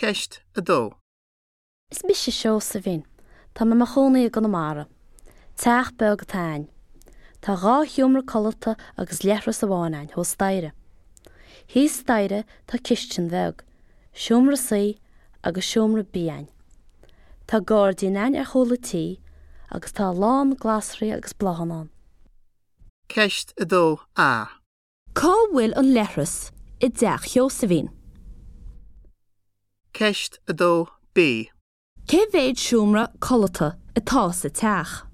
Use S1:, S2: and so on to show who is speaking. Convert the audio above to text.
S1: Ceist 2.
S2: Is mise Seosaimhín. Tá mé i mo chónaí i gConamara. Teach beag atá a'inn. Tá dhá sheomra codlata agus leithreas amháin a'inn thuas staighre. Thíos staighre tá cistin bheag, seomra suí agus seomra bídh a'inn. Tá gairdín a'inn ar chúl an tí agus tá a lán glasraí agus bláthanna ann.
S1: Ceist 2A.
S2: Cá bhfuil an leithreas i dteach Sheosaimhín?
S1: Ceist 2B.
S2: Cé mhéad seomra codlata atá sa teach?